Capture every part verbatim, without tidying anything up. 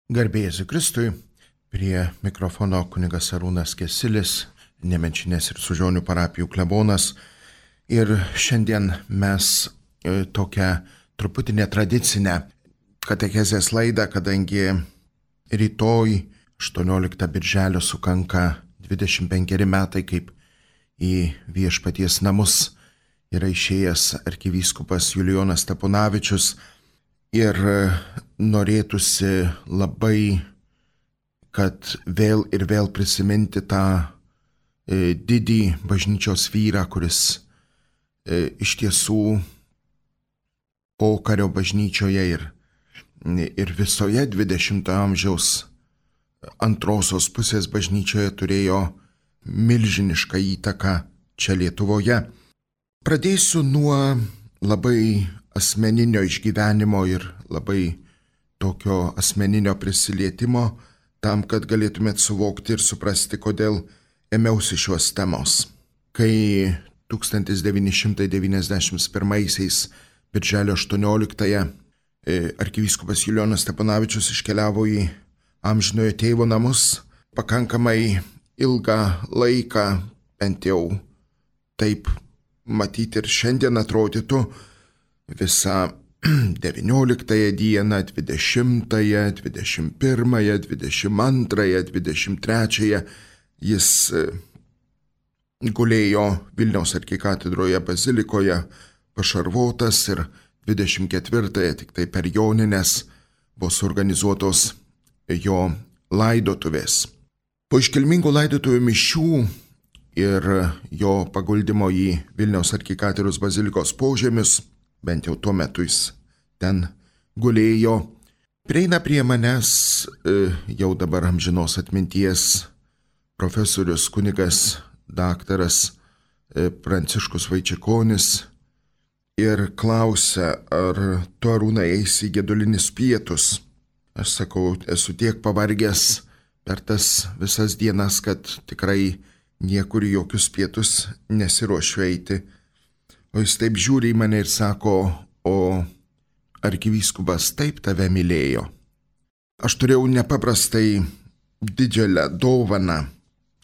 Garbė Jėzui Kristui, prie mikrofono kunigas Arūnas Kesilis, Nemenčinės ir Sužionių parapijų klebonas. Ir šiandien mes e, tokią truputį netradicinę katechezės laidą, kadangi rytoj aštuonioliktą birželio sukanka dvidešimt penkeri metai, kaip į Viešpaties namus yra išėjęs arkivyskupas Julijonas Steponavičius. Ir norėtųsi labai, kad vėl ir vėl prisiminti tą e, didį bažnyčios vyrą, kuris e, iš tiesų pokario bažnyčioje ir, ir visoje dvidešimtojo amžiaus antrosios pusės bažnyčioje turėjo milžinišką įtaką čia Lietuvoje. Pradėsiu nuo labai asmeninio išgyvenimo ir labai tokio asmeninio prisilietimo, tam, kad galėtumėt suvokti ir suprasti, kodėl ėmiausi šios temos. Kai tūkstantis devyni šimtai devyniasdešimt pirmaisiais birželio aštuonioliktąją arkivyskupas Julijonas Steponavičius iškeliavo į amžinojo tėvo namus, pakankamai ilgą laiką, bent jau taip matyti ir šiandien atrodytų, visą devynioliktąją dieną, dvidešimtąją, dvidešimt pirmąją, dvidešimt antrąją, dvidešimt trečiąją jis gulėjo Vilniaus arkikatedroje bazilikoje pašarvotas ir dvidešimt ketvirtąją tik tai per jonines buvo suorganizuotos jo laidotuvės. Po iškilmingų laidotuvių mišių ir jo paguldimo į Vilniaus arkikatedros bazilikos požemius, bent jau tuo metu jis ten gulėjo, prieina prie manęs jau dabar amžinos atminties profesorius kunigas daktaras Pranciškus Vaičikonis ir klausia, ar tu, Arūnai, eisi į gedulinius pietus. Aš sakau, esu tiek pavargęs per tas visas dienas, kad tikrai niekur į jokius pietus nesiruošiu eiti. O jis taip žiūri į mane ir sako, o arkivyskupas taip tave mylėjo. Aš turėjau nepaprastai didžiulę dovaną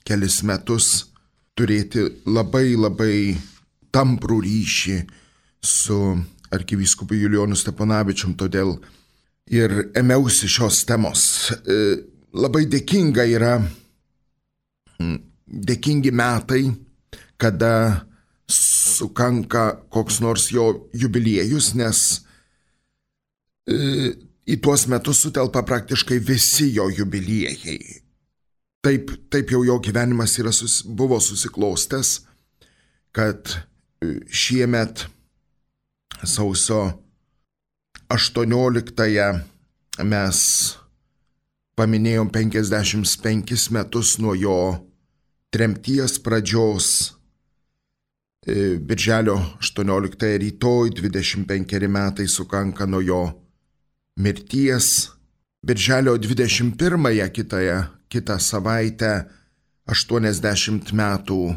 kelis metus turėti labai labai tamprų ryšį su arkivyskupu Julijonu Steponavičium, todėl ir ėmiausi šios temos. Labai dėkinga yra, dėkingi metai, kada sukanka koks nors jo jubiliejus, nes e, į tuos metus sutelpa praktiškai visi jo jubiliejai. Taip, taip jau jo gyvenimas yra, sus, buvo susiklostęs, kad šiemet sausio aštuonioliktąją mes paminėjom penkiasdešimt penkis metus nuo jo tremties pradžios. Birželio aštuonioliktąją rytoj dvidešimt penkeri metai sukanka nuo jo mirties. Birželio dvidešimt pirmąją kitąją, kitą savaitę aštuoniasdešimt metų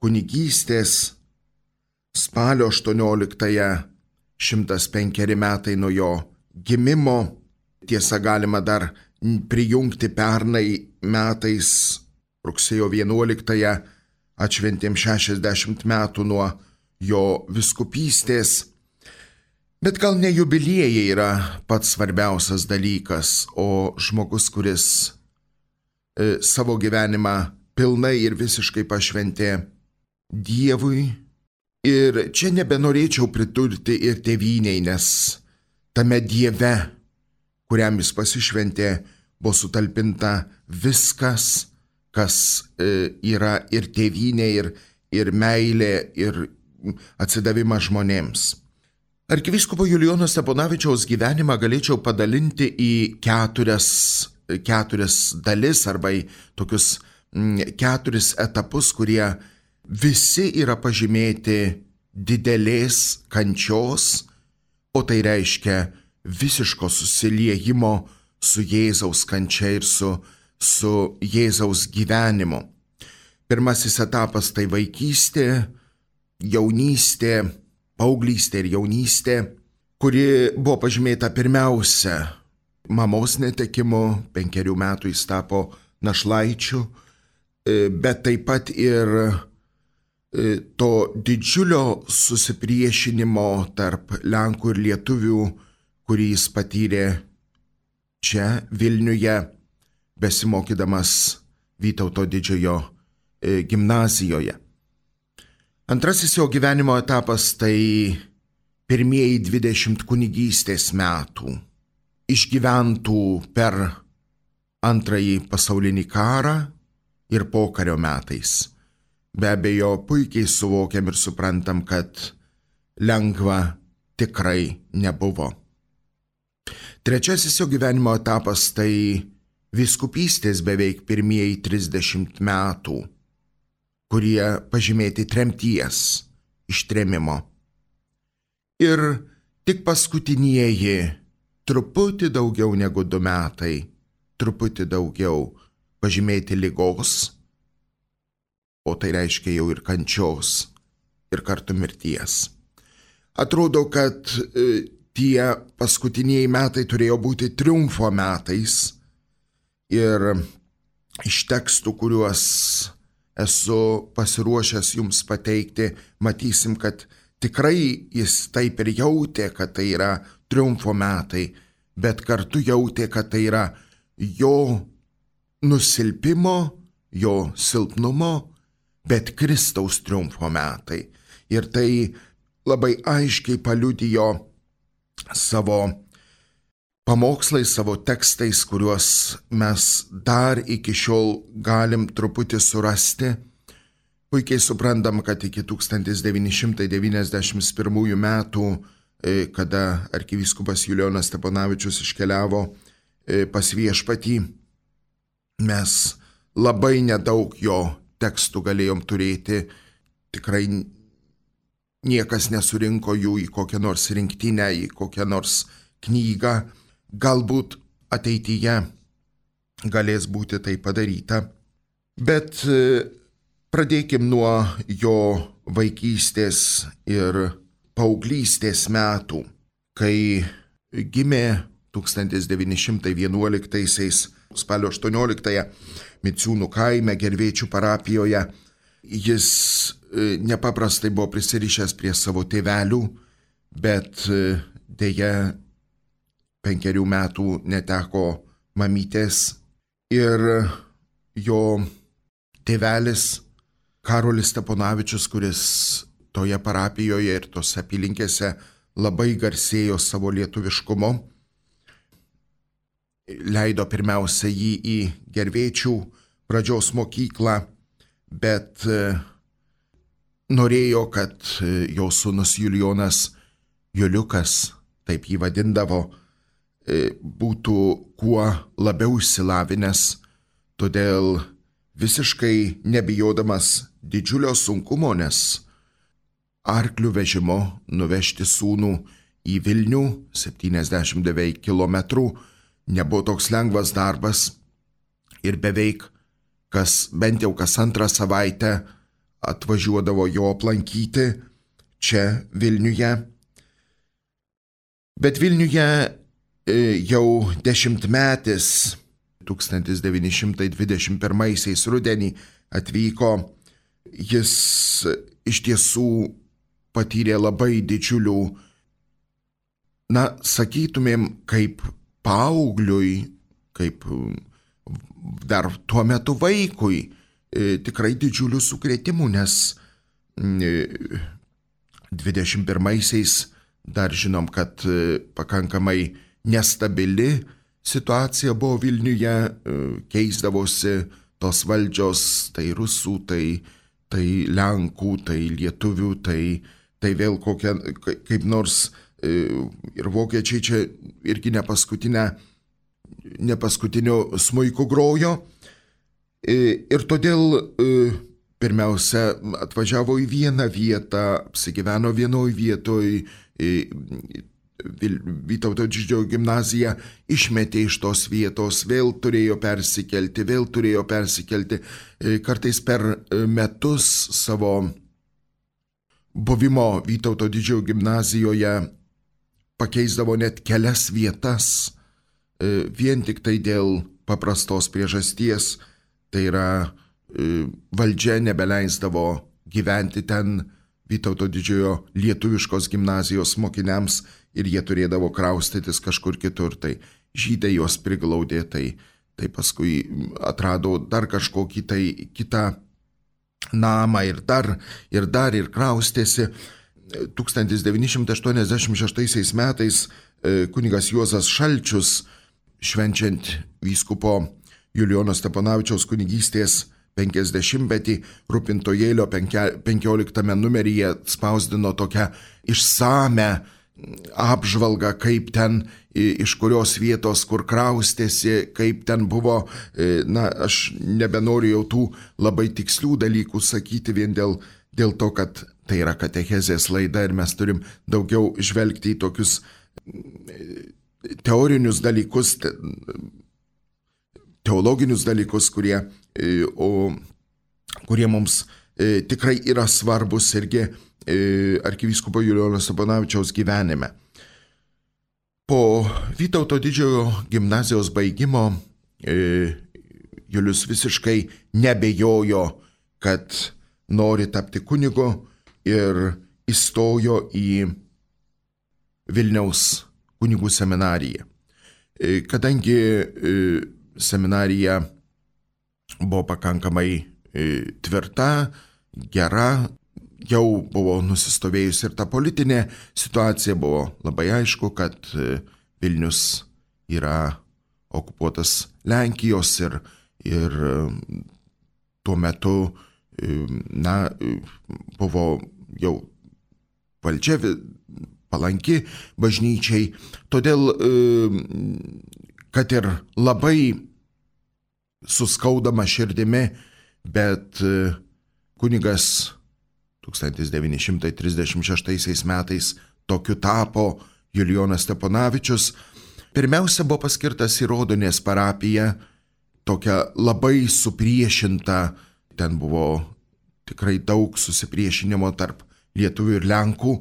kunigystės. Spalio aštuonioliktąją šimtas penkeri metai nuo jo gimimo. Tiesa, galima dar prijungti pernai metais rugsėjo vienuoliktąją atšventėm šešiasdešimt metų nuo jo vyskupystės. Bet gal ne jubiliejai yra pats svarbiausias dalykas, o žmogus, kuris e, savo gyvenimą pilnai ir visiškai pašventė Dievui. Ir čia nebenorėčiau pridurti ir tėvynei, nes tame Dieve, kuriam jis pasišventė, buvo sutalpinta viskas, kas yra ir tėvynė, ir, ir meilė, ir atsidavimas žmonėms. Arkivyskupo Julijono Steponavičiaus gyvenimą galėčiau padalinti į keturias, keturias dalis arba į tokius keturis etapus, kurie visi yra pažymėti didelės kančios, o tai reiškia visiško susiliejimo su Jėzaus kančia ir su su Jėzaus gyvenimu. Pirmasis etapas tai vaikystė, jaunystė, paauglystė ir jaunystė, kuri buvo pažymėta pirmiausia mamos netekimu, penkerių metų jis tapo našlaičiu, bet taip pat ir to didžiulio susipriešinimo tarp Lenkų ir Lietuvių, kurį jis patyrė čia Vilniuje, besimokydamas Vytauto didžiojo gimnazijoje. Antrasis jo gyvenimo etapas tai pirmieji dvidešimt kunigystės metų, išgyventų per antrąjį pasaulinį karą ir pokario metais. Be abejo, puikiai suvokiam ir suprantam, kad lengva tikrai nebuvo. Trečiasis jo gyvenimo etapas tai vyskupystės beveik pirmieji trisdešimt metų, kurie pažymėti tremties, ištrėmimo. Ir tik paskutinieji, truputį daugiau negu du metai, truputį daugiau pažymėti ligos, o tai reiškia jau ir kančios, ir kartu mirties. Atrodo, kad e, tie paskutiniai metai turėjo būti triumfo metais ir iš tekstų, kuriuos esu pasiruošęs jums pateikti, matysim, kad tikrai jis taip ir jautė, kad tai yra triumfo metai, bet kartu jautė, kad tai yra jo nusilpimo, jo silpnumo, bet Kristaus triumfo metai. Ir tai labai aiškiai paliudijo savo pamokslais, savo tekstais, kuriuos mes dar iki šiol galim truputį surasti. Puikiai suprantam, kad iki tūkstantis devyni šimtai devyniasdešimt pirmųjų metų, kada arkivyskupas Julijonas Steponavičius iškeliavo pas Viešpatį, mes labai nedaug jo tekstų galėjom turėti. Tikrai niekas nesurinko jų į kokią nors rinktinę, į kokią nors knygą. Galbūt ateityje galės būti tai padaryta. Bet pradėkim nuo jo vaikystės ir paauglystės metų, kai gimė tūkstantis devyni šimtai vienuoliktaisiais spalio aštuonioliktąją Miciūnų kaime Gervėčių parapijoje. Jis nepaprastai buvo prisirišęs prie savo tėvelių, bet deja penkerių metų neteko mamytės ir jo tėvelis Karolis Steponavičius, kuris toje parapijoje ir tose apylinkėse labai garsėjo savo lietuviškumu, leido pirmiausia jį į Gervėčių pradžios mokyklą, bet norėjo, kad jo sūnus Julijonas, Juliukas, taip jį vadindavo, būtų kuo labiau išsilavinęs, todėl visiškai nebijodamas didžiulio sunkumo, nes arklių vežimu nuvežti sūnų į Vilnių, septyniasdešimt beveik kilometrų, nebuvo toks lengvas darbas ir beveik kas, bent jau kas antrą savaitę atvažiuodavo jo aplankyti čia Vilniuje. Bet Vilniuje jau dešimtmetis tūkstantis devyni šimtai dvidešimt pirmaisiais rudenį atvyko. Jis iš tiesų patyrė labai didžiulių, na, sakytumėm, kaip paaugliui, kaip dar tuo metu vaikui, tikrai didžiulių sukrėtimų, nes dvidešimt pirmaisiais dar žinom, kad pakankamai nestabili situacija buvo Vilniuje, keisdavosi tos valdžios, tai rusų, tai, tai lenkų, tai lietuvių, tai, tai vėl kokia, kaip nors ir vokiečiai čia irgi ne paskutinę, ne paskutinio smuiku grojo. Ir todėl pirmiausia atvažiavo į vieną vietą, apsigyveno vienoj vietoj, Vytauto didžiojo gimnaziją išmetė iš tos vietos, vėl turėjo persikelti, vėl turėjo persikelti. Kartais per metus savo buvimo Vytauto didžiojo gimnazijoje pakeisdavo net kelias vietas, vien tik tai dėl paprastos priežasties, tai yra valdžia nebeleisdavo gyventi ten Vytauto didžiojo lietuviškos gimnazijos mokiniams ir jie turėdavo kraustytis kažkur kitur. Tai žydai juos priglaudė, tai, tai paskui atrado dar kažkokį tai kitą namą ir dar, ir dar ir kraustėsi. tūkstantis devyni šimtai aštuoniasdešimt šeštaisiais metais kunigas Juozas Šalčius, švenčiant vyskupo Julijono Steponavičiaus kunigystės penkiasdešimtmetį, Rūpintojėlio penkioliktame numeryje spausdino tokią išsame apžvalgą, kaip ten, iš kurios vietos, kur kraustėsi, kaip ten buvo. Na, aš nebenoriu jau tų labai tikslių dalykų sakyti vien dėl, dėl to, kad tai yra katechezės laida ir mes turim daugiau žvelgti į tokius teorinius dalykus, teologinius dalykus, kurie, o, kurie mums tikrai yra svarbus irgi arkivyskupo Julijono Steponavičiaus gyvenime. Po Vytauto didžiojo gimnazijos baigimo Julius visiškai nebejojo, kad nori tapti kunigu ir įstojo į Vilniaus kunigų seminariją. Kadangi seminarija buvo pakankamai tvirta, gera, jau buvo nusistovėjusi ir ta politinė situacija, buvo labai aišku, kad Vilnius yra okupuotas Lenkijos ir, ir tuo metu, na, buvo jau valdžia palanki bažnyčiai, todėl, kad ir labai suskaudama širdimi, bet kunigas tūkstantis devyni šimtai trisdešimt šeštaisiais metais tokiu tapo Julijonas Steponavičius. Pirmiausia buvo paskirtas į Rodonės parapiją, tokia labai supriešinta, ten buvo tikrai daug susipriešinimo tarp lietuvių ir lenkų,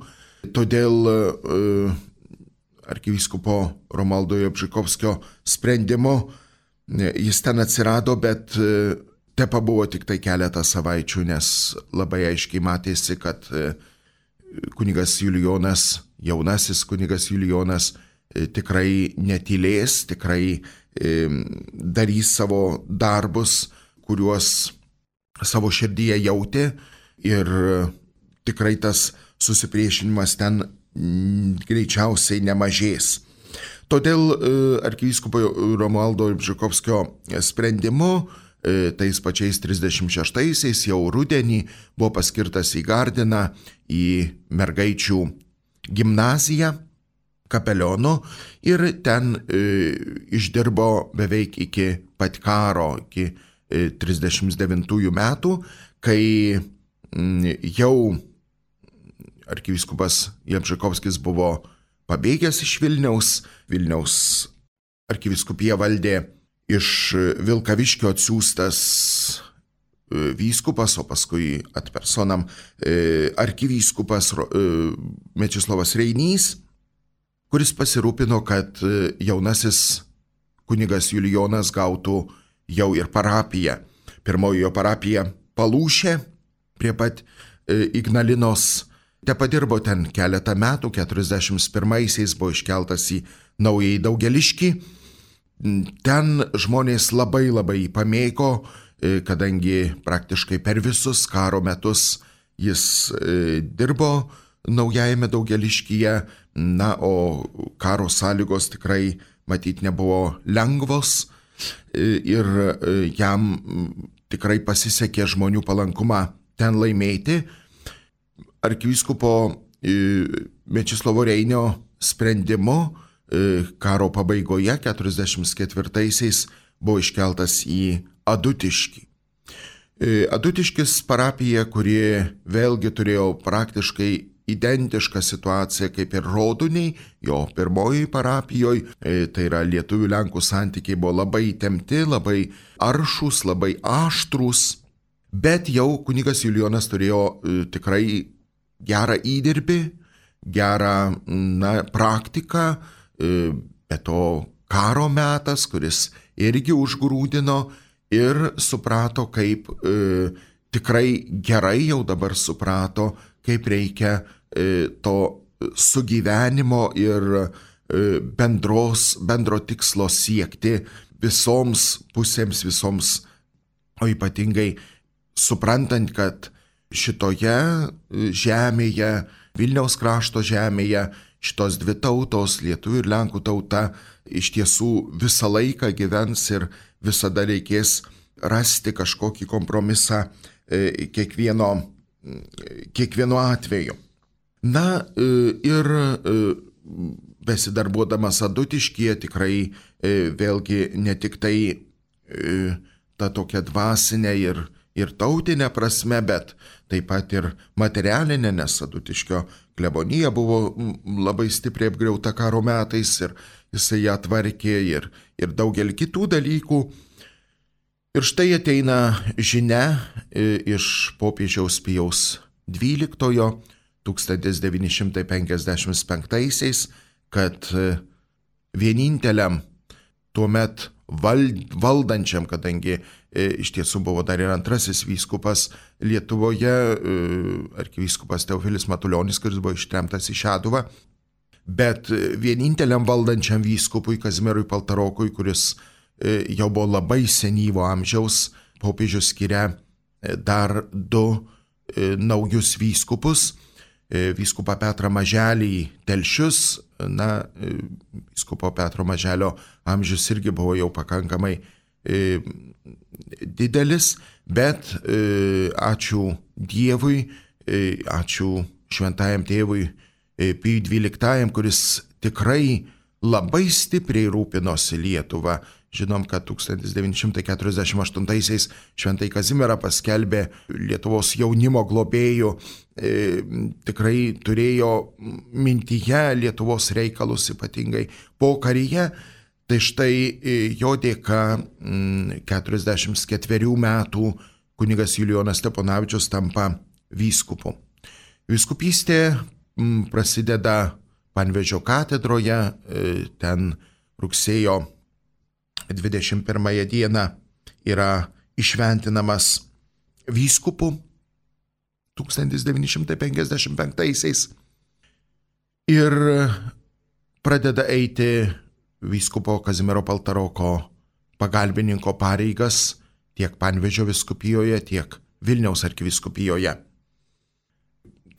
todėl uh, arkivyskupo Romaldo Jalbžykovskio sprendimo jis ten atsirado, bet te pabuvo tik tai keletą savaičių, nes labai aiškiai matėsi, kad kunigas Julijonas, jaunasis kunigas Julijonas tikrai netylės, tikrai darys savo darbus, kuriuos savo širdyje jautė, ir tikrai tas susipriešinimas ten greičiausiai nemažės. Todėl arkivyskupo Romualdo Jalbžykovskio sprendimu tais pačiais trisdešimt šeštaisiais jau rudenį buvo paskirtas į Gardiną, į mergaičių gimnaziją kapeliono, ir ten išdirbo beveik iki pat karo, iki trisdešimt devintųjų metų, kai jau arkivyskupas Jalbžykovskis buvo pabėgęs iš Vilniaus. Vilniaus arkivyskupija valdė iš Vilkaviškio atsiųstas vyskupas, o paskui ad personam arkivyskupas Mečislovas Reinys, kuris pasirūpino, kad jaunasis kunigas Julijonas gautų jau ir parapiją. Pirmoji jo parapija Palūšė prie pat Ignalinos. Te padirbo ten keletą metų, keturiasdešimt pirmaisiais buvo iškeltas į Naująjį Daugeliškį. Ten žmonės labai labai pamėgo, kadangi praktiškai per visus karo metus jis dirbo Naujajame Daugeliškyje, na, o karo sąlygos tikrai matyt nebuvo lengvos ir jam tikrai pasisekė žmonių palankumą ten laimėti. Arkivyskupo Mečislovo Reinio sprendimu karo pabaigoje keturiasdešimt ketvirtaisiais buvo iškeltas į Adutiškį. Adutiškis parapija, kuri vėlgi turėjo praktiškai identišką situaciją kaip ir Rodoniai, jo pirmoji parapijoje, tai yra lietuvių lenkų santykiai buvo labai įtempti, labai aršūs, labai aštrūs, bet jau kunigas Julijonas turėjo tikrai gerą įdirbį, gerą, na, praktiką, be to karo metas, kuris irgi užgrūdino ir suprato, kaip e, tikrai gerai jau dabar suprato, kaip reikia e, to sugyvenimo ir e, bendros, bendro tikslo siekti visoms pusėms, visoms, o ypatingai suprantant, kad šitoje žemėje, Vilniaus krašto žemėje, šitos dvi tautos, lietuvių ir lenkų tauta, iš tiesų visą laiką gyvens ir visada reikės rasti kažkokį kompromisą e, kiekvieno, kiekvieno atveju. Na e, ir e, besidarbuodamas Adutiškyje tikrai e, vėlgi ne tik tai e, ta tokia dvasinė ir ir tautinė prasme, bet taip pat ir materialinė, nes Adutiškio klebonija buvo labai stipriai apgriauta karo metais ir jisai ją tvarkė ir, ir daugelį kitų dalykų. Ir štai ateina žinia iš popiežiaus Pijaus dvyliktojo tūkstantis devyni šimtai penkiasdešimt penktaisiais, kad vieninteliam tuomet valdančiam, kadangi e, iš tiesų buvo dar ir antrasis vyskupas Lietuvoje, e, arkivyskupas Teofilis Matulionis, kuris buvo ištremtas į Šeduvą, bet vieninteliam valdančiam vyskupui Kazimierui Paltarokui, kuris e, jau buvo labai senyvo amžiaus, popiežius skiria e, dar du e, naujus vyskupus, e, vyskupą Petrą Maželį Telšius. Na, vyskupo Petro Maželio amžius irgi buvo jau pakankamai e, didelis, bet e, ačiū Dievui, e, ačiū šventajam tėvui e, Pijui dvyliktajam, kuris tikrai labai stipriai rūpinosi Lietuvą. Žinom, kad tūkstantis devyni šimtai keturiasdešimt aštuntaisiais šventai Kazimierą paskelbė Lietuvos jaunimo globėjų, e, tikrai turėjo mintyje Lietuvos reikalus ypatingai pokaryje. Tai štai e, jo dėka m, keturiasdešimt ketverių metų kunigas Julijonas Steponavičius tampa vyskupu. Vyskupystė m, prasideda Panevėžio katedroje, e, ten rugsėjo dvidešimt pirmąją dieną yra išventinamas vyskupu tūkstantis devyni šimtai penkiasdešimt penktaisiais ir pradeda eiti vyskupo Kazimiero Paltaroko pagalbininko pareigas tiek Panevėžio vyskupijoje, tiek Vilniaus arkivyskupijoje.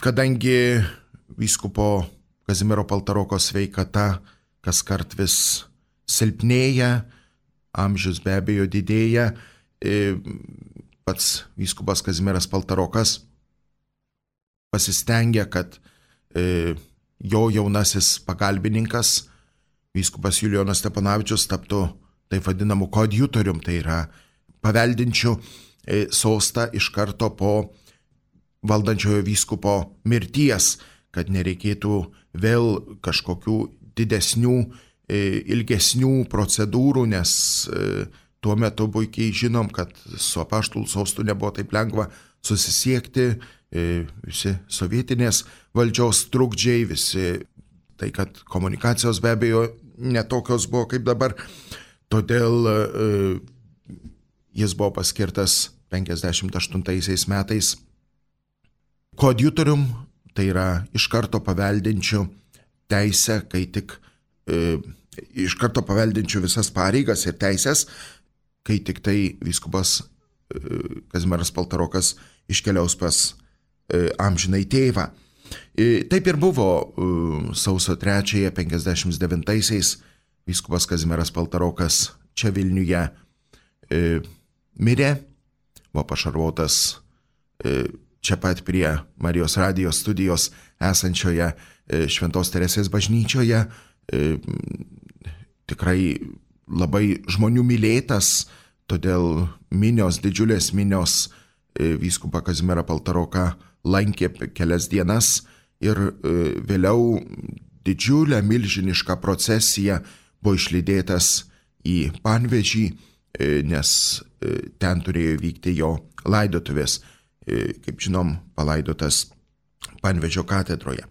Kadangi vyskupo Kazimiero Paltaroko sveikata kaskart vis silpnėja, amžius be abejo didėja, pats vyskupas Kazimieras Paltarokas pasistengia, kad jo jaunasis pagalbininkas, vyskupas Julijonas Steponavičius, taptų taip vadinamu koadjutorium, tai yra paveldinčiu sostą iš karto po valdančiojo vyskupo mirties, kad nereikėtų vėl kažkokių didesnių ilgesnių procedūrų, nes tuo metu puikiai žinom, kad su apaštalų sostu nebuvo taip lengva susisiekti, visi sovietinės valdžios trukdžiai, visi tai, kad komunikacijos be abejo netokios buvo kaip dabar, todėl jis buvo paskirtas penkiasdešimt aštuntaisiais metais koadjutorium, tai yra iš karto paveldinčių teisę, kai tik iš karto paveldinčių visas pareigas ir teisės, kai tik tai vyskupas Kazimieras Paltarokas iškeliaus pas amžinai tėvą. Taip ir buvo sausio trečiąją penkiasdešimt devintaisiais vyskupas Kazimieras Paltarokas čia Vilniuje mirė, buvo pašarvotas čia pat prie Marijos radijos studijos esančioje Šventos Teresės bažnyčioje. Tikrai labai žmonių mylėtas, todėl minios, didžiulės minios vyskupą Kazimierą Paltaroką lankė kelias dienas ir vėliau didžiulę milžinišką procesiją buvo išlydėtas į Panevėžį, nes ten turėjo vykti jo laidotuvės, kaip žinom, palaidotas Panevėžio katedroje.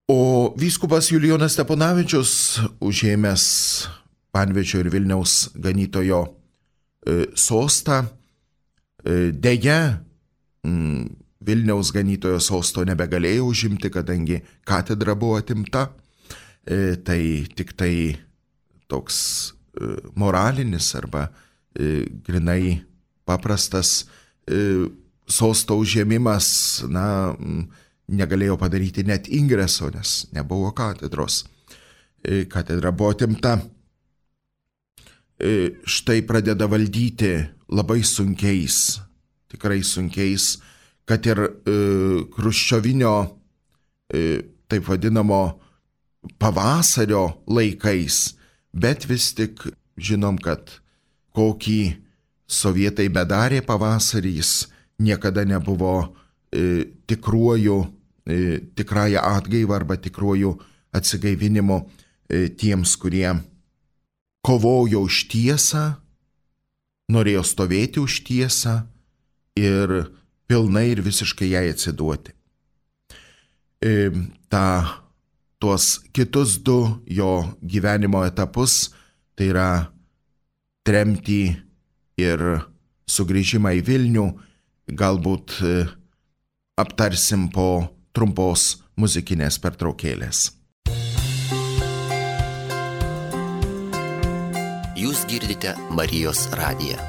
O vyskupas Julijonas Steponavičius, užėmęs Panevėžio ir Vilniaus ganytojo e, sostą, e, deja, m, Vilniaus ganytojo sosto nebegalėjo užimti, kadangi katedra buvo atimta. E, tai tik tai toks e, moralinis arba e, grinai paprastas e, sosto užėmimas, na, negalėjo padaryti net ingreso, nes nebuvo katedros. E, katedra buvo atimta. E, štai pradeda valdyti labai sunkiais, tikrai sunkiais, kad ir e, Chruščiovinio, e, taip vadinamo, pavasario laikais, bet vis tik žinom, kad kokį sovietai bedarė pavasarį, jis niekada nebuvo e, tikruoju, e, tikrąją atgaivą arba tikruoju atsigaivinimu e, tiems, kurie kovojo už tiesą, norėjo stovėti už tiesą ir pilnai ir visiškai jai atsiduoti. E, ta Tuos kitus du jo gyvenimo etapus, tai yra tremtį ir sugrįžimą į Vilnių, galbūt aptarsim po trumpos muzikinės pertraukėlės. Jūs girdite Marijos radiją.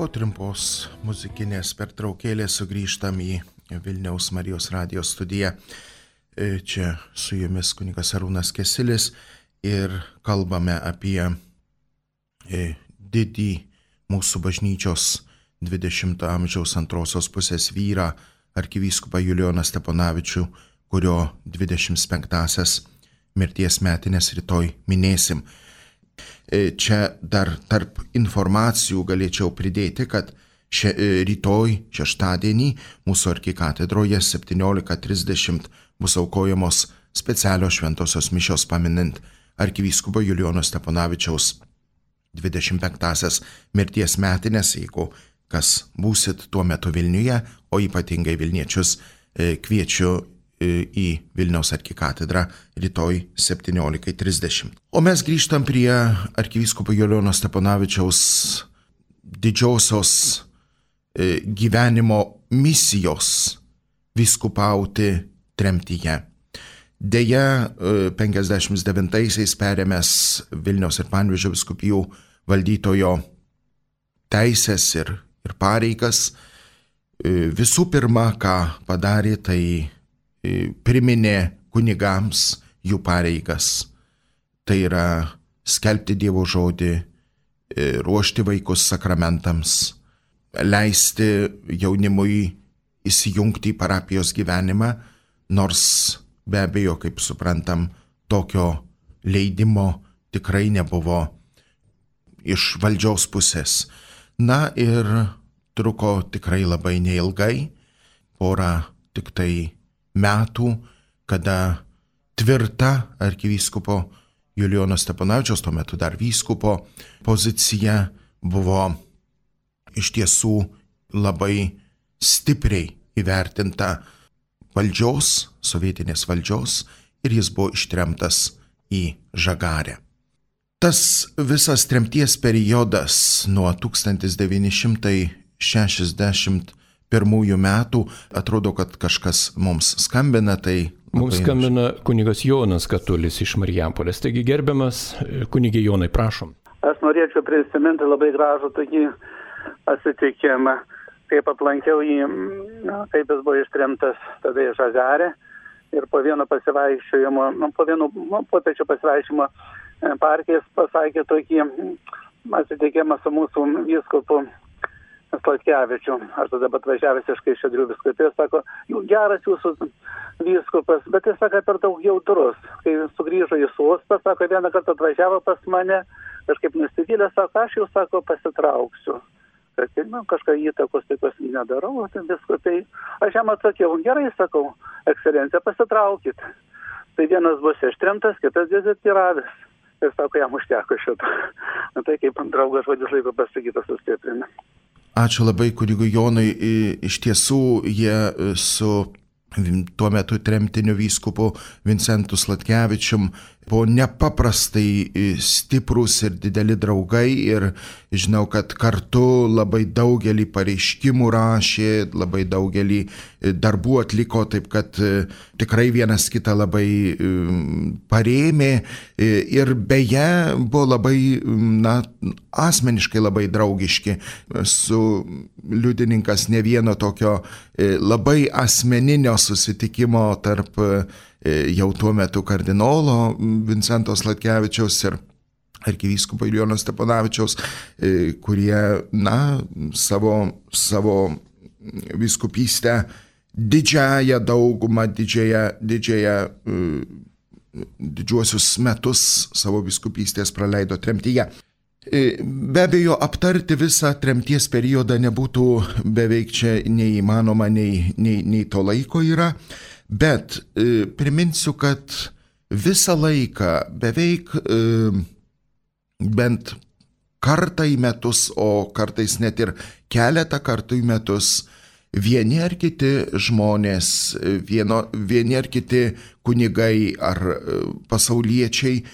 Po trumpos muzikinės pertraukėlės sugrįžtam į Vilniaus Marijos radijos studiją. Čia su jumis kunigas Arūnas Kesilis ir kalbame apie didį mūsų bažnyčios dvidešimto amžiaus antrosios pusės vyrą, arkivyskupą Julijoną Steponavičių, kurio dvidešimt penktąsias mirties metinės rytoj minėsim. Čia dar tarp informacijų galėčiau pridėti, kad šia, rytoj šeštadienį mūsų arkikatedroje septyniolika trisdešimt bus aukojamos specialios šventosios mišios paminint arkivyskupo Julijono Steponavičiaus dvidešimt penktąsias mirties metinės. Jeigu kas būsit tuo metu Vilniuje, o ypatingai Vilniečius, kviečiu į Vilniaus arkikatedrą rytoj septyniolika trisdešimt. O mes grįžtam prie arkivyskupo Julijono Steponavičiaus didžiosios gyvenimo misijos vyskupauti tremtyje. Deja, penkiasdešimt devintaisiais perėmęs Vilniaus ir Panevėžio vyskupijų valdytojo teisės ir, ir pareigas, visų pirma, ką padarė, tai priminė kunigams jų pareigas. Tai yra skelbti Dievo žodį, ruošti vaikus sakramentams, leisti jaunimui įsijungti į parapijos gyvenimą, nors be abejo, kaip suprantam, tokio leidimo tikrai nebuvo iš valdžiaus pusės. Na ir truko tikrai labai neilgai, porą tik tai metų, kada tvirta arkivyskupo Julijono Steponavičiaus, tuo metu dar vyskupo, pozicija buvo iš tiesų labai stipriai įvertinta valdžios, sovietinės valdžios, ir jis buvo ištremtas į Žagarę. Tas visas tremties periodas nuo tūkstantis devyni šimtai šešiasdešimt pirmųjų metų, atrodo, kad kažkas mums skambina, tai... Mums skambina kunigas Jonas Katulis iš Marijampolės. Taigi, gerbiamas kunigė Jonai, prašom. Aš norėčiau prisiminti labai gražų tokį atsitikimą, kaip aplankiau jį, kaip jis buvo ištremtas tada į Žagarę, ir po vieno pasivaikščiojimo, po vieno popiečio pasivaikščiojimo parke jis pasakė tokį atsitikimą su mūsų vyskupu Sladkevičiu. Aš tada atvažiavęs iš Kaišiadorių vyskupijos, sako, geras jūsų vyskupas, bet jis sako, per daug jautrus. Kai sugrįžo į sostą, sako, vieną kartą atvažiavo pas mane, kažkaip nusivylė, sako, aš jau, sako, pasitrauksiu. Kad, nu, kažką įtakos tokios nedarau, tai viskupiai. Aš jam atsakiau, gerai, sakau, ekscelencija, pasitraukit. Tai vienas bus ištremtas, kitas dezertyravęs. Ir sako, jam užteko šito. Na tai kaip draugas žodis laiko pasakytas sustiprina. Ačiū labai kunigui Jonui. Iš tiesų jie su tuo metu tremtiniu vyskupu Vincentu Sladkevičium buvo nepaprastai stiprūs ir dideli draugai, ir žinau, kad kartu labai daugelį pareiškimų rašė, labai daugelį darbų atliko, taip kad tikrai vienas kitą labai parėmė, ir beje buvo labai, na, asmeniškai labai draugiški. Su liudininkas ne vieno tokio labai asmeninio susitikimo tarp jau tuo metu kardinolo Vincento Sladkevičiaus ir arkivyskupo Julijono Steponavičiaus, kurie, na, savo, savo vyskupystę didžiąją daugumą, didžiąją, didžiąją, didžiuosius metus savo vyskupystės praleido tremtyje. Be abejo, aptarti visą tremties periodą nebūtų beveik čia neįmanoma, nei, nei, nei to laiko yra, bet e, priminsiu, kad visą laiką beveik e, bent kartą į metus, o kartais net ir keletą kartų į metus, vieni ar kiti žmonės, vieno, vieni ar kiti kunigai ar pasauliečiai,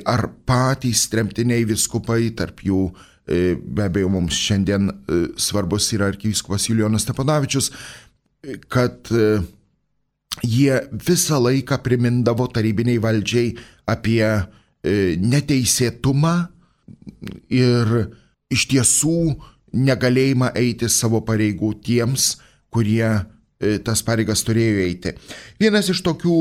ar patys tremtiniai vyskupai, tarp jų be abejo mums šiandien svarbus yra arkivyskupas Julijonas Steponavičius, kad jie visą laiką primindavo tarybiniai valdžiai apie neteisėtumą ir iš tiesų negalėjimą eiti savo pareigų tiems, kurie tas pareigas turėjo eiti. Vienas iš tokių,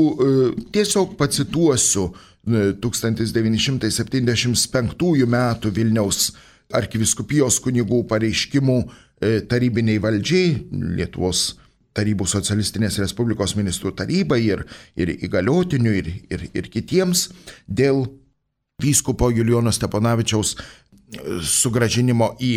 tiesiog pacituosiu, tūkstantis devyni šimtai septyniasdešimt penktųjų metų Vilniaus arkivyskupijos kunigų pareiškimų tarybiniai valdžiai, Lietuvos Tarybų Socialistinės Respublikos ministrų tarybai ir, ir įgaliotinių ir, ir, ir kitiems dėl vyskupo Julijono Steponavičiaus sugrąžinimo į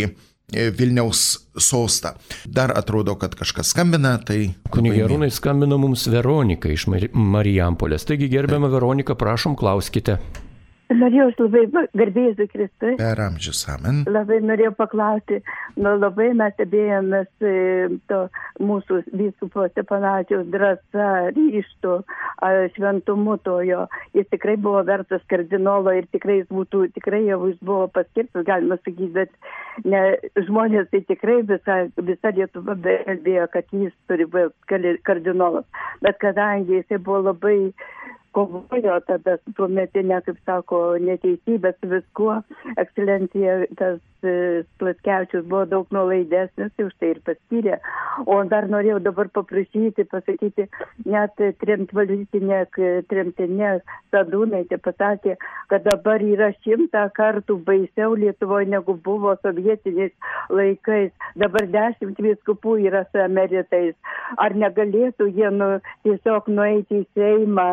Vilniaus sostą. Dar atrodo, kad kažkas skambina, tai... Kunigė Arūnai, skambino mums Veronika iš Marijampolės. Taigi, gerbiama Veronika, prašom, klauskite. Norėjau labai, garbė Jėzui Kristui. Per amžius, amen. Labai norėjau paklausti, nu, labai mes stebėjomės to mūsų vyskupo Stepanavičiaus drąsa, ryžtu, šventumu tojo. Jis tikrai buvo vertas kardinolo ir tikrai jis būtų, tikrai jau jis buvo paskirtas, galima sakyti, bet ne, žmonės tai tikrai visa, visa Lietuva kalbėjo, kad jis turi būti kardinolas. Bet kadangi jisai buvo labai kovojo tada su tuometinė, kaip sako, neteisybė su viskuo, ekscelencija, tas Platkevičius buvo daug nuolaidesnis, tai už tai ir paskyrė. O dar norėjau dabar paprašyti, pasakyti, net tremtvaldytinė, tremtinė Sadūnaitė pasakė, kad dabar yra šimtą kartų baisiau Lietuvoje negu buvo sovietiniais laikais. Dabar dešimt vyskupų yra su emeritais. Ar negalėtų jie nu, tiesiog nueiti į Seimą?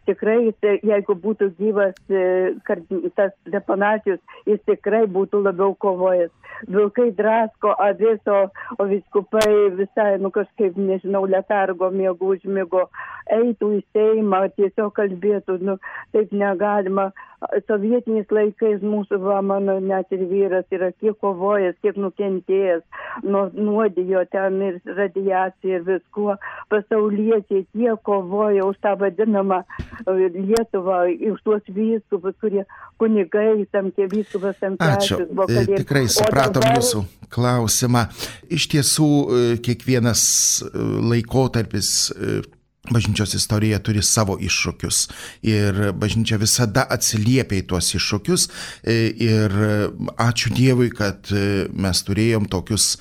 Tikrai, jeigu būtų gyvas tas Stepanavičius, jis tikrai būtų labiau kovojęs. Vilkai drasko avis, o, o viskupai visai, nu kažkaip, nežinau, letargo miego užmigo, eitų į Seimą, tiesiog kalbėtų, nu taip negalima. Sovietiniais laikais mūsų, va, mano net ir vyras yra kiek kovojęs, kiek nukentėjęs, nu, nuodijo ten ir radiacija ir viskuo. Pasauliečiai tiek kovoja už tą vadinamą Lietuvą, už tuos vyskupus, kurie kunigai, tam tie vyskupas Tamkevičius buvo kalėdų. Tikrai supratom dabar... jūsų klausimą. Iš tiesų, kiekvienas laikotarpis bažnyčios istorija turi savo iššūkius ir bažnyčia visada atsiliepia į tuos iššūkius ir ačiū Dievui, kad mes turėjom tokius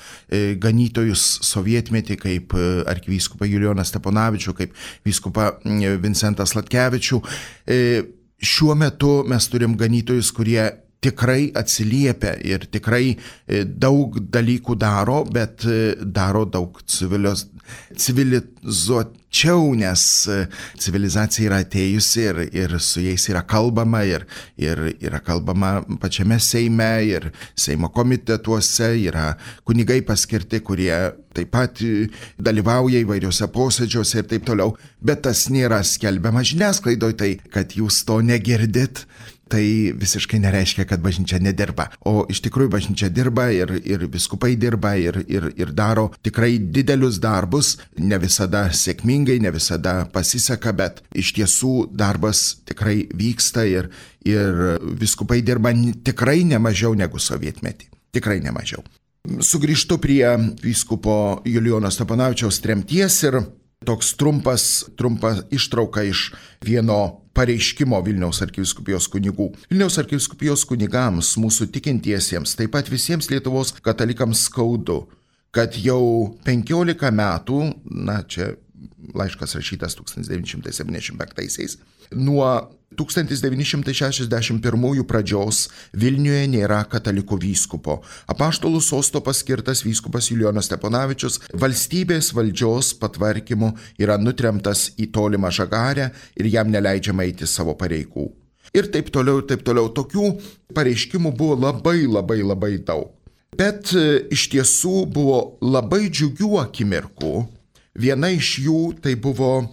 ganytojus sovietmetį kaip arkivyskupą Julijoną Stepanavičių, kaip vyskupą Vincentą Sladkevičių. Šiuo metu mes turim ganytojus, kurie tikrai atsiliepia ir tikrai daug dalykų daro, bet daro daug civilios, civilizuočiau, nes civilizacija yra atėjusi ir, ir su jais yra kalbama ir, ir yra kalbama pačiame Seime ir Seimo komitetuose, yra kunigai paskirti, kurie taip pat dalyvauja įvairiuose posėdžiuose ir taip toliau, bet tas nėra skelbiama žiniasklaidoje, tai kad jūs to negirdit, tai visiškai nereiškia, kad bažnyčia nedirba. O iš tikrųjų bažnyčia dirba ir, ir viskupai dirba ir, ir, ir daro tikrai didelius darbus, ne visada sėkmingai, ne visada pasiseka, bet iš tiesų darbas tikrai vyksta ir, ir viskupai dirba tikrai nemažiau negu sovietmetį. Tikrai nemažiau. Sugrįžtu prie vyskupo Julijono Stepanavičiaus tremties ir toks trumpas, trumpa ištrauka iš vieno pareiškimo Vilniaus arkivyskupijos kunigų. Vilniaus arkivyskupijos kunigams, mūsų tikintiesiems, taip pat visiems Lietuvos katalikams skaudu, kad jau penkiolika metų, na čia laiškas rašytas tūkstantis devyni šimtai septyniasdešimt penktaisiais, nuo tūkstantis devyni šimtai šešiasdešimt pirmųjų pradžios Vilniuje nėra katalikų vyskupo. Apaštalų sosto paskirtas vyskupas Julijonas Stepanavičius valstybės valdžios patvarkymu yra nutremtas į tolimą Žagarę ir jam neleidžiama eiti savo pareigų. Ir taip toliau, ir taip toliau. Tokių pareiškimų buvo labai, labai, labai daug. Bet iš tiesų buvo labai džiugių akimirkų. Viena iš jų tai buvo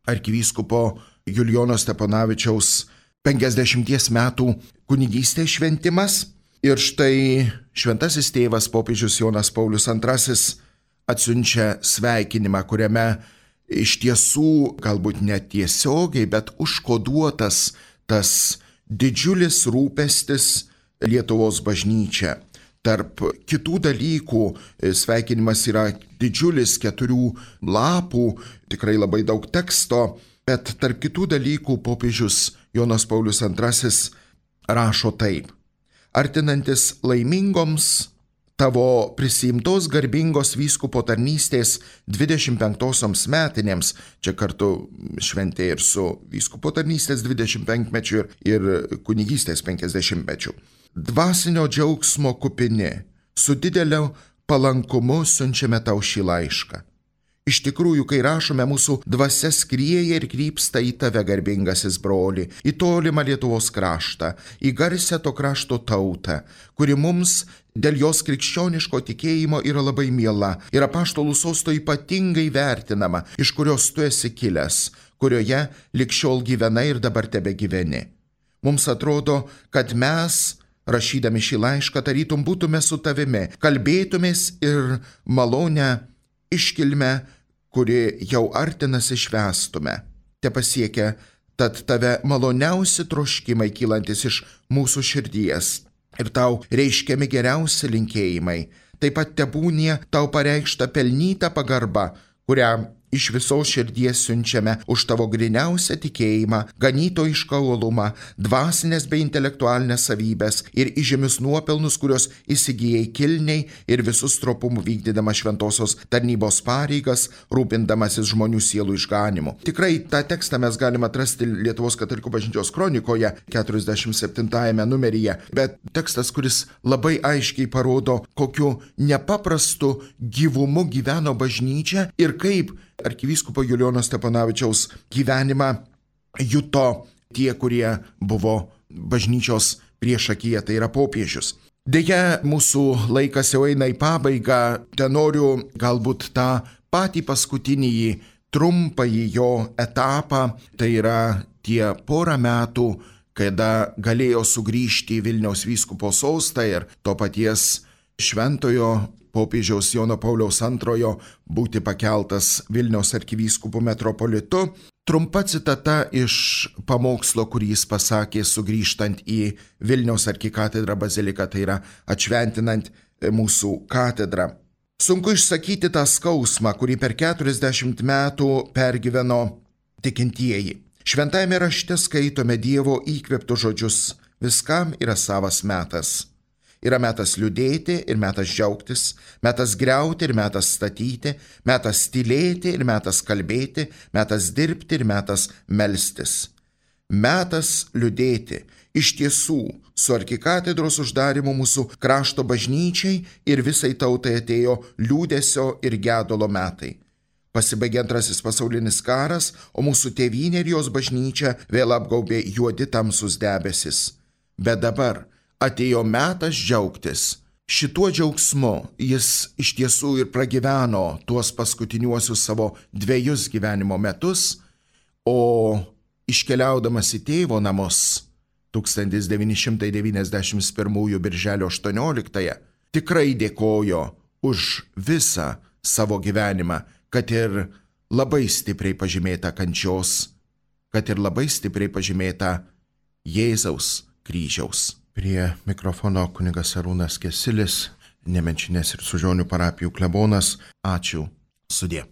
arkivyskupo Julijono Stepanavičiaus penkiasdešimties metų kunigystės šventimas. Ir štai šventasis tėvas popiežius Jonas Paulius antrasis atsiunčia sveikinimą, kuriame iš tiesų galbūt netiesiogiai, bet užkoduotas tas didžiulis rūpestis Lietuvos bažnyčia. Tarp kitų dalykų sveikinimas yra didžiulis keturių lapų, tikrai labai daug teksto, bet tarp kitų dalykų popiežius Jonas Paulius antrasis rašo taip. Artinantis laimingoms tavo prisiimtos garbingos vyskupo tarnystės dvidešimt penktosioms metinėms, čia kartu šventė ir su vyskupo tarnystės dvidešimt penkmečiu ir, ir kunigystės penkiasdešimtmečiu. Dvasinio džiaugsmo kupini, su dideliu palankumu siunčiame tau šį laišką. Iš tikrųjų, kai rašome, mūsų dvasia skrieja ir krypsta į tave, garbingasis broli, į tolimą Lietuvos kraštą, į garsę to krašto tautą, kuri mums dėl jos krikščioniško tikėjimo yra labai miela ir apaštalų sosto ypatingai vertinama, iš kurios tu esi kilęs, kurioje lig šiol gyvenai ir dabar tebe gyveni. Mums atrodo, kad mes rašydami šį laišką, tarytum būtume su tavimi, kalbėtumės ir malonę iškilmę, kuri jau artinasi švęstume. Te pasiekia tad tave maloniausi troškimai kylantis iš mūsų širdies ir tau reiškiami geriausi linkėjimai. Taip pat tebūnie tau pareikšta pelnyta pagarba, kurią iš visos širdies siunčiame už tavo griniausią tikėjimą, ganytojišką uolumą, dvasinės bei intelektualinės savybės ir įžymius nuopelnus, kurios įsigijai kilniai ir visus tropumų vykdydama šventosios tarnybos pareigas, rūpindamasis žmonių sielų išganimu. Tikrai tą tekstą mes galime atrasti Lietuvos katalikų bažnyčios kronikoje keturiasdešimt septintajame numeryje, bet tekstas, kuris labai aiškiai parodo, kokiu nepaprastu gyvumu gyveno bažnyčia ir kaip arkivyskupo Julijono Stepanavičiaus gyvenimą juto tie, kurie buvo bažnyčios priešakyje, tai yra popiežius. Deja, mūsų laikas jau eina į pabaigą, ten noriu galbūt tą patį paskutinį trumpąjį jo etapą, tai yra tie porą metų, kada galėjo sugrįžti į Vilniaus vyskupo sostą ir to paties šventojo popiežiaus Jono Pauliaus antrojo būti pakeltas Vilniaus arkivyskupu metropolitu. Trumpa citata iš pamokslo, kurį jis pasakė sugrįžtant į Vilniaus arkikatedrą baziliką, tai yra atšventinant mūsų katedrą. Sunku išsakyti tą skausmą, kurį per keturiasdešimt metų pergyveno tikintieji. Šventajame rašte skaitome Dievo įkvėptus žodžius: viskam yra savas metas. Yra metas liūdėti ir metas džiaugtis, metas griauti ir metas statyti, metas tylėti ir metas kalbėti, metas dirbti ir metas melstis. Metas liūdėti. Iš tiesų, su arkikatedros uždarimu mūsų krašto bažnyčiai ir visai tautai atėjo liūdesio ir gedulo metai. Pasibaigė antrasis pasaulinis karas, o mūsų tėvynė ir jos bažnyčia vėl apgaubė juodi tamsus debesis. Bet dabar atėjo metas džiaugtis. Šituo džiaugsmu jis iš tiesų ir pragyveno tuos paskutiniuosius savo dviejus gyvenimo metus, o iškeliaudamas į tėvo namus tūkstantis devyni šimtai devyniasdešimt pirmųjų birželio aštuonioliktąją tikrai dėkojo už visą savo gyvenimą, kad ir labai stipriai pažymėta kančios, kad ir labai stipriai pažymėta Jėzaus kryžiaus. Prie mikrofono kunigas Arūnas Kesilis, Nemenčinės ir Sužionių parapijų klebonas. Ačiū. Sudie.